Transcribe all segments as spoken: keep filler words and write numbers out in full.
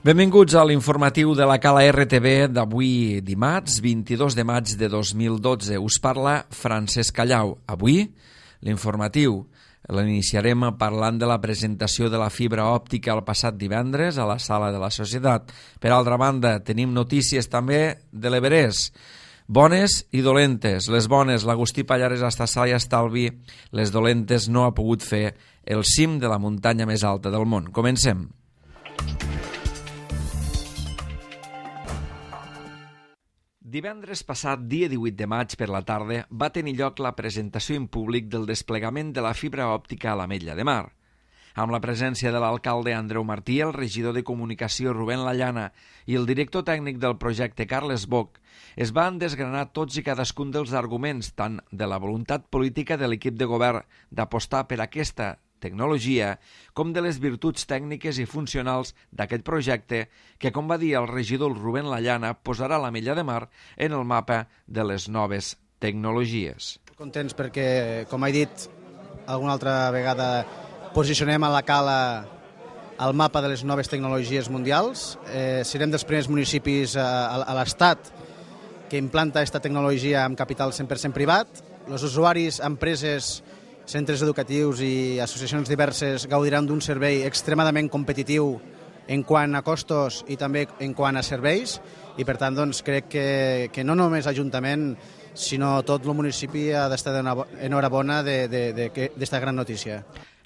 Benvinguts a l'informatiu de la Cala R T V d'avui dimarts, vint-i-dos de maig de dos mil dotze. Us parla Francesc Callau. Avui, l'informatiu l'iniciarem parlant de la presentació de la fibra òptica el passat divendres a la Sala de la Societat. Per altra banda, tenim notícies també de l'Everest. Bones i dolentes. Les bones, l'Agustí Pallares està sa i estalvi. Les dolentes no ha pogut fer el cim de la muntanya més alta del món. Comencem. Divendres passat, dia divuit de maig per la tarda, va tenir lloc la presentació en públic del desplegament de la fibra òptica a l'Ametlla de Mar. Amb la presència de l'alcalde Andreu Martí, el regidor de Comunicació Rubén Lallana i el director tècnic del projecte Carles Boch, es van desgranar tots i cadascun dels arguments, tant de la voluntat política de l'equip de govern d'apostar per aquesta tecnologia, com de les virtuts tècniques i funcionals d'aquest projecte que, com va dir el regidor Rubén Lallana, posarà l'Ametlla de Mar en el mapa de les noves tecnologies. Contents perquè, com he dit alguna altra vegada, posicionem a la Cala al mapa de les noves tecnologies mundials. Eh, serem dels primers municipis a, a, a l'Estat que implanta aquesta tecnologia amb capital cent per cent privat. Els usuaris, empreses, centres educatius i associacions diverses gaudiran d'un servei extremadament competitiu en quant a costos i també en quant a serveis, i per tant doncs, crec que, que no només l'Ajuntament sinó tot el municipi ha d'estar enhorabona d'esta gran notícia.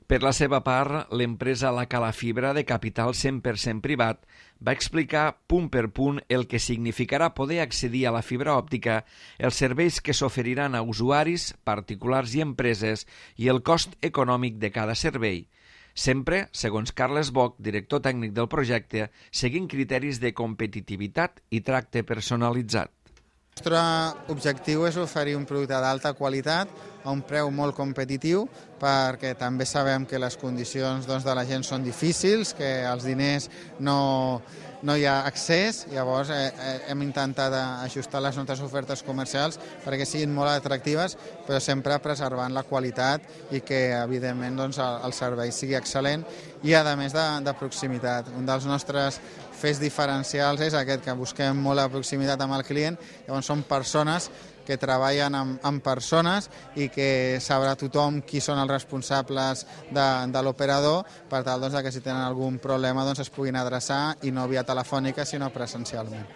Per la seva part, l'empresa La Cala Fibra, de capital cent per cent privat, va explicar punt per punt el que significarà poder accedir a la fibra òptica, els serveis que s'oferiran a usuaris, particulars i empreses i el cost econòmic de cada servei. Sempre, segons Carles Boch, director tècnic del projecte, seguint criteris de competitivitat i tracte personalitzat. El nostre objectiu és oferir un producte d'alta qualitat a un preu molt competitiu, perquè també sabem que les condicions doncs, de la gent són difícils, que els diners no, no hi ha accés. Llavors eh, hem intentat ajustar les nostres ofertes comercials perquè siguin molt atractives, però sempre preservant la qualitat i que evidentment doncs, el, el servei sigui excel·lent i a més de, de proximitat. Un dels nostres fets diferencials és aquest, que busquem molt la proximitat amb el client. Llavors són persones que treballen amb, amb persones i que sabrà tothom qui són els responsables de, de l'operador, per tal doncs, que si tenen algun problema doncs, es puguin adreçar, i no via telefònica sinó presencialment.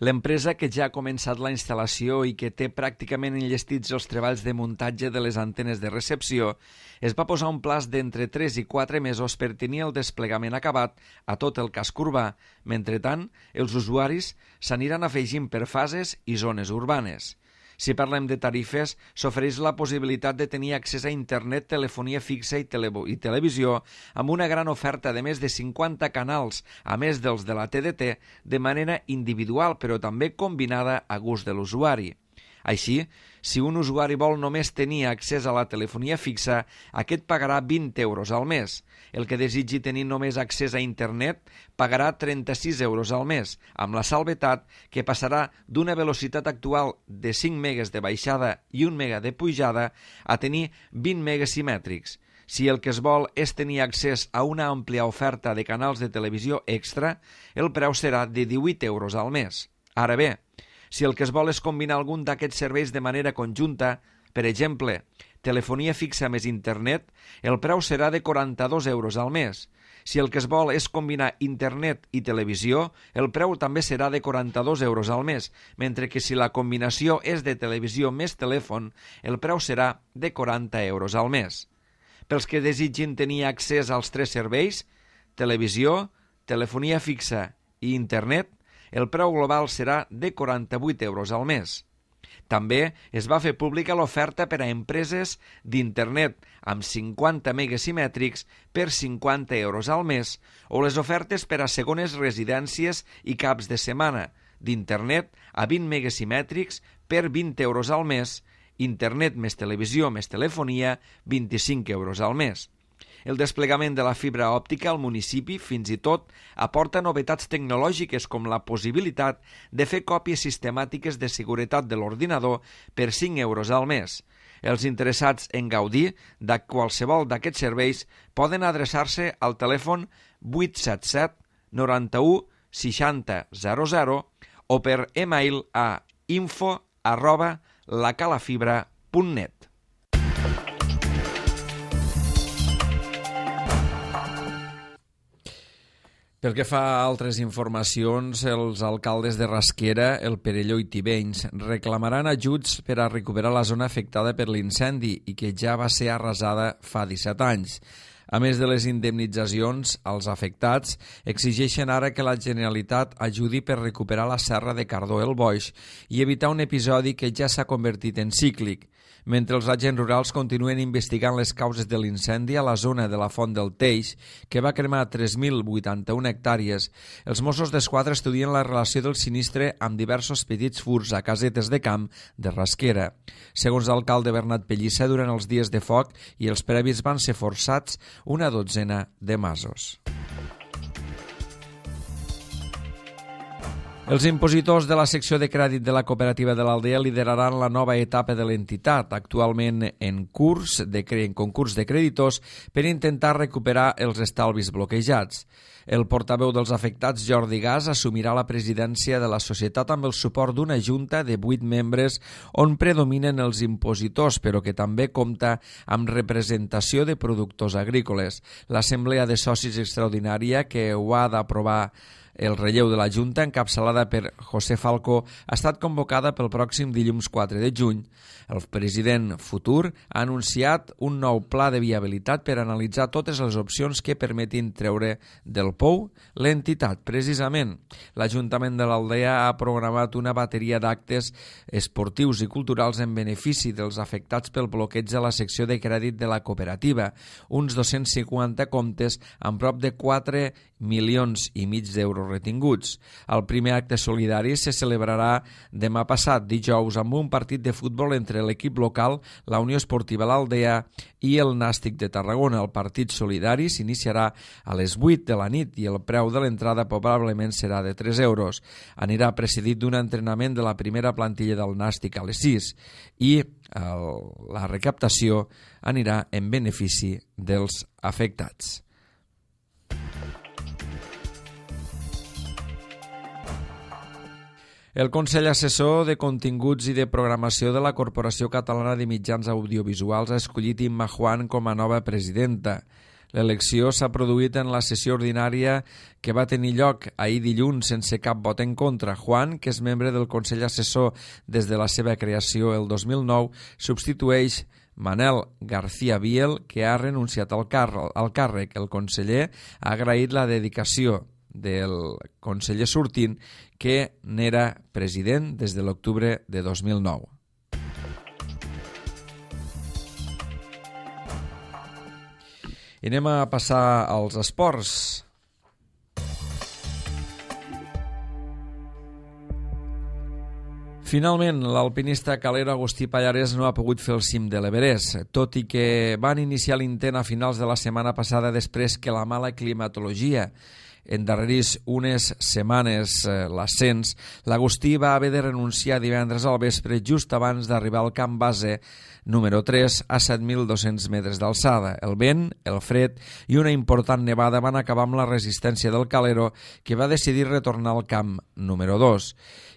L'empresa, que ja ha començat la instal·lació i que té pràcticament enllestits els treballs de muntatge de les antenes de recepció, es va posar un plaç d'entre tres i quatre mesos per tenir el desplegament acabat a tot el casc urbà. Mentrestant, els usuaris s'aniran afegint per fases i zones urbanes. Si parlem de tarifes, s'ofereix la possibilitat de tenir accés a internet, telefonia fixa i, tele i televisió amb una gran oferta de més de cinquanta canals, a més dels de la T D T, de manera individual però també combinada a gust de l'usuari. Així, si un usuari vol només tenir accés a la telefonia fixa, aquest pagarà vint euros al mes. El que desitgi tenir només accés a internet pagarà trenta-sis euros al mes, amb la salvetat que passarà d'una velocitat actual de cinc megas de baixada i un mega de pujada a tenir vint megas simètrics. Si el que es vol és tenir accés a una àmplia oferta de canals de televisió extra, el preu serà de divuit euros al mes. Ara bé, si el que es vol és combinar algun d'aquests serveis de manera conjunta, per exemple, telefonia fixa més internet, el preu serà de quaranta-dos euros al mes. Si el que es vol és combinar internet i televisió, el preu també serà de quaranta-dos euros al mes, mentre que si la combinació és de televisió més telèfon, el preu serà de quaranta euros al mes. Pels que desitgin tenir accés als tres serveis, televisió, telefonia fixa i internet, el preu global serà de quaranta-vuit euros al mes. També es va fer pública l'oferta per a empreses d'internet amb cinquanta megas simètrics per cinquanta euros al mes, o les ofertes per a segones residències i caps de setmana d'internet a vint megas simètrics per vint euros al mes, internet més televisió més telefonia, vint-i-cinc euros al mes. El desplegament de la fibra òptica al municipi, fins i tot, aporta novetats tecnològiques com la possibilitat de fer còpies sistemàtiques de seguretat de l'ordinador per cinc euros al mes. Els interessats en gaudir de qualsevol d'aquests serveis poden adreçar-se al telèfon vuit set set, noranta-u, seixanta zero zero o per e-mail a info arroba lacalafibra punt net. Pel que fa a altres informacions, els alcaldes de Rasquera, el Perelló i Tivenys reclamaran ajuts per a recuperar la zona afectada per l'incendi i que ja va ser arrasada fa disset anys. A més de les indemnitzacions als afectats, exigeixen ara que la Generalitat ajudi per recuperar la serra de Cardó el Boix i evitar un episodi que ja s'ha convertit en cíclic. Mentre els agents rurals continuen investigant les causes de l'incendi a la zona de la Font del Teix, que va cremar tres mil vuitanta-u hectàrees, els Mossos d'Esquadra estudien la relació del sinistre amb diversos petits furts a casetes de camp de Rasquera. Segons l'alcalde Bernat Pellissa, durant els dies de foc i els previs van ser forçats una dotzena de masos. Els impositors de la secció de crèdit de la cooperativa de l'Aldea lideraran la nova etapa de l'entitat, actualment en curs de, en concurs de creditors, per intentar recuperar els estalvis bloquejats. El portaveu dels afectats, Jordi Gas, assumirà la presidència de la societat amb el suport d'una junta de vuit membres on predominen els impositors, però que també compta amb representació de productors agrícoles. L'assemblea de socis extraordinària, que ho ha d'aprovar el relleu de la Junta, encapçalada per José Falcó, ha estat convocada pel pròxim dilluns quatre de juny. El president futur ha anunciat un nou pla de viabilitat per analitzar totes les opcions que permetin treure del pou l'entitat. Precisament, l'Ajuntament de l'Aldea ha programat una bateria d'actes esportius i culturals en benefici dels afectats pel bloqueig de la secció de crèdit de la cooperativa, uns dos-cents cinquanta comptes amb prop de quatre milions i mig d'euros retinguts. El primer acte solidari se celebrarà demà passat, dijous, amb un partit de futbol entre l'equip local, la Unió Esportiva l'Aldea i el Nàstic de Tarragona. El partit solidari s'iniciarà a les vuit de la nit i el preu de l'entrada probablement serà de tres euros. Anirà precedit d'un entrenament de la primera plantilla del Nàstic a les sis i el, la recaptació anirà en benefici dels afectats. El Consell Assessor de Continguts i de Programació de la Corporació Catalana de Mitjans Audiovisuals ha escollit Imma Juan com a nova presidenta. L'elecció s'ha produït en la sessió ordinària que va tenir lloc ahir dilluns sense cap vot en contra. Juan, que és membre del Consell Assessor des de la seva creació el dos mil nou, substitueix Manel García Biel, que ha renunciat al càrrec. El conseller ha agraït la dedicació del conseller sortint, que n'era president des de l'octubre de dos mil nou. I anem a passar als esports. Finalment, l'alpinista calero Agustí Pallarès no ha pogut fer el cim de l'Everest, tot i que van iniciar l'intent a finals de la setmana passada després que la mala climatologia endarrerís unes setmanes eh, l'ascens. L'Agustí va haver de renunciar divendres al vespre just abans d'arribar al camp base número tres a set mil dos-cents metres d'alçada. El vent, el fred i una important nevada van acabar amb la resistència del calero, que va decidir retornar al camp número dos.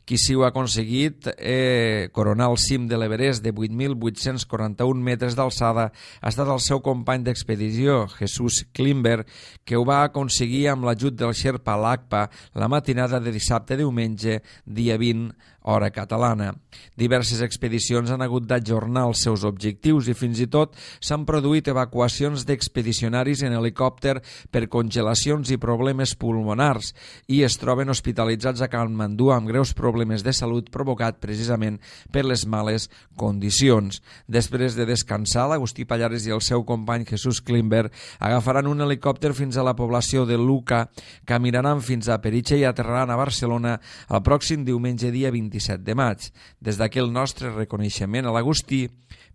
Qui sí ho ha aconseguit eh, coronar el cim de l'Everest de vuit mil vuit-cents quaranta-un metres d'alçada ha estat el seu company d'expedició, Jesús Klimber, que ho va aconseguir amb l'ajut del Sherpa Lakpa la matinada de dissabte-diumenge, dia vint, hora catalana. Diverses expedicions han hagut d'ajornar els seus objectius i fins i tot s'han produït evacuacions d'expedicionaris en helicòpter per congelacions i problemes pulmonars i es troben hospitalitzats a Katmandú amb greus problemes de salut provocat precisament per les males condicions. Després de descansar, l'Agustí Pallarès i el seu company Jesús Klimber agafaran un helicòpter fins a la població de Luca, caminaran fins a Peritxe i aterraran a Barcelona el pròxim diumenge dia vint-i-set de maig. Des d'aquí el nostre reconeixement a l'Agustí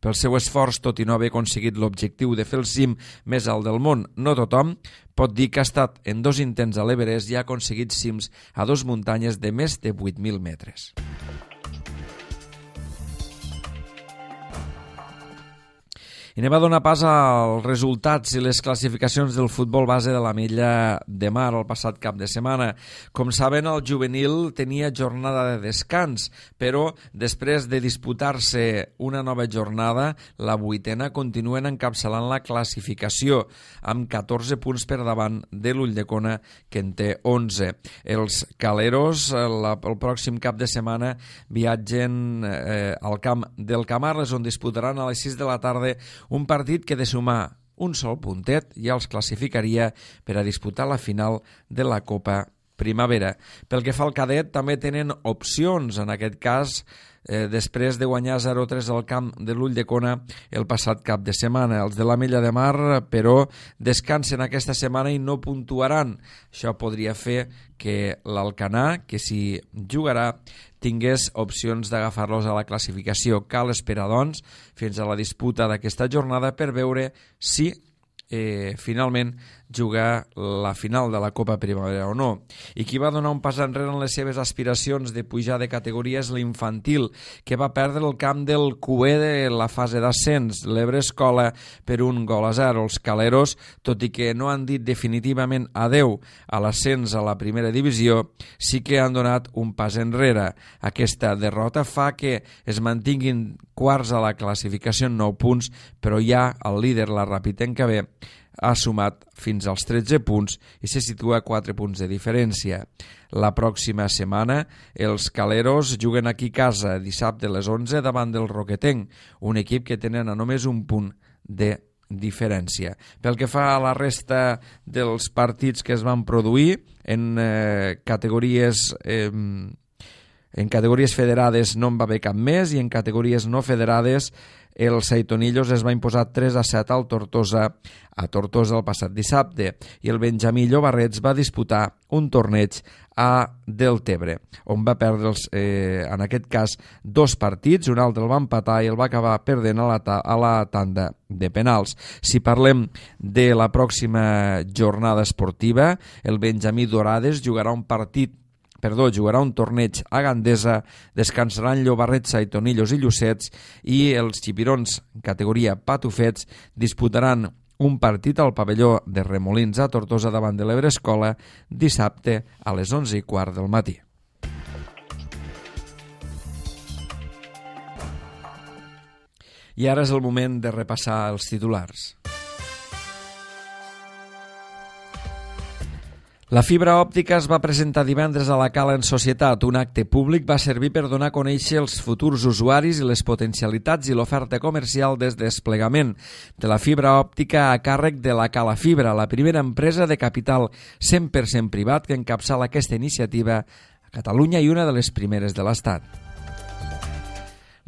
pel seu esforç, tot i no haver aconseguit l'objectiu de fer el cim més alt del món. No tothom pot dir que ha estat en dos intents a l'Everest i ha aconseguit cims a dos muntanyes de més de vuit mil metres. I anem a donar pas als resultats i les classificacions del futbol base de l'Ametlla de Mar el passat cap de setmana. Com saben, el juvenil tenia jornada de descans, però després de disputar-se una nova jornada, la vuitena continuen encapçalant la classificació, amb catorze punts per davant de l'Ulldecona, que en té onze. Els caleros la, el pròxim cap de setmana viatgen eh, al camp del Camarles, on disputaran a les sis de la tarda un partit que de sumar un sol puntet ja els classificaria per a disputar la final de la Copa Primavera. Pel que fa al cadet, també tenen opcions, en aquest cas, eh, després de guanyar zero a tres al camp de l'Ulldecona el passat cap de setmana. Els de l'Ametlla de Mar, però, descansen aquesta setmana i no puntuaran. Això podria fer que l'Alcanar, que s'hi jugarà, tingués opcions d'agafar-los a la classificació. Cal esperar, doncs, fins a la disputa d'aquesta jornada per veure si eh, finalment jugar la final de la Copa Primavera o no. I qui va donar un pas enrere en les seves aspiracions de pujar de categoria és l'infantil, que va perdre el camp del Cué de la fase d'ascens, l'Ebre Escola, per un gol a zero. Els caleros, tot i que no han dit definitivament adeu a l'ascens a la primera divisió, sí que han donat un pas enrere. Aquesta derrota fa que es mantinguin quarts a la classificació en nou punts, però ja el líder, la Rapitenca B, ha sumat fins als tretze punts i se situa a quatre punts de diferència. La pròxima setmana els caleros juguen aquí a casa dissabte a les onze davant del Roquetenc, un equip que tenen a només un punt de diferència. Pel que fa a la resta dels partits que es van produir en eh, categories eh, en categories federades no en va haver cap més, i en categories no federades el Saitonillos es va imposar tres a set al Tortosa, a Tortosa el passat dissabte, i el Benjamí Llobarrets va disputar un torneig a Deltebre, on va perdre, els, eh, en aquest cas, dos partits, un altre el va empatar i el va acabar perdent a la, ta a la tanda de penals. Si parlem de la pròxima jornada esportiva, el Benjamí Dorades jugarà un partit Perdó, jugarà un torneig a Gandesa, descansaran Llobarrets, Saitonillos i Llucets, i els xipirons, en categoria patufets, disputaran un partit al pavelló de Remolins a Tortosa davant de l'Ebre Escola dissabte a les onze i quart del matí. I ara és el moment de repassar els titulars. La fibra òptica es va presentar divendres a la Cala en Societat. Un acte públic va servir per donar a conèixer els futurs usuaris i les potencialitats i l'oferta comercial des desplegament de la fibra òptica a càrrec de la Cala Fibra, la primera empresa de capital cent per cent privat que encapçala aquesta iniciativa a Catalunya i una de les primeres de l'Estat.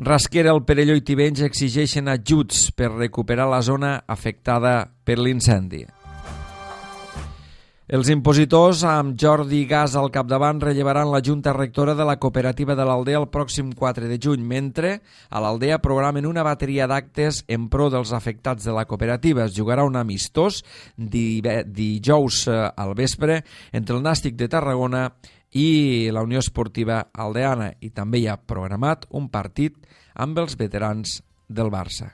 Rasquera, el Perelló i Tivenys exigeixen ajuts per recuperar la zona afectada per l'incendi. Els impositors, amb Jordi Gas al capdavant, rellevaran la Junta Rectora de la Cooperativa de l'Aldea el pròxim quatre de juny, mentre a l'Aldea programen una bateria d'actes en pro dels afectats de la cooperativa. Es jugarà un amistós dijous al vespre entre el Nàstic de Tarragona i la Unió Esportiva Aldeana, i també hi ha programat un partit amb els veterans del Barça.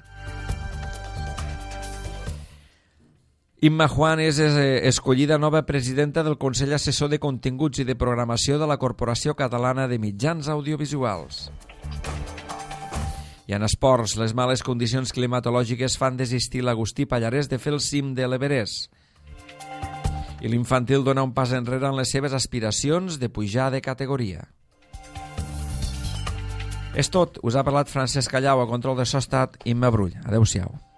Imma Juan és escollida nova presidenta del Consell Assessor de Continguts i de Programació de la Corporació Catalana de Mitjans Audiovisuals. I en esports, les males condicions climatològiques fan desistir l'Agustí Pallarès de fer el cim de l'Everest. I l'infantil dona un pas enrere en les seves aspiracions de pujar de categoria. És tot. Us ha parlat Francesc Callau, a control de so estat Imma Brull. Adéu-siau.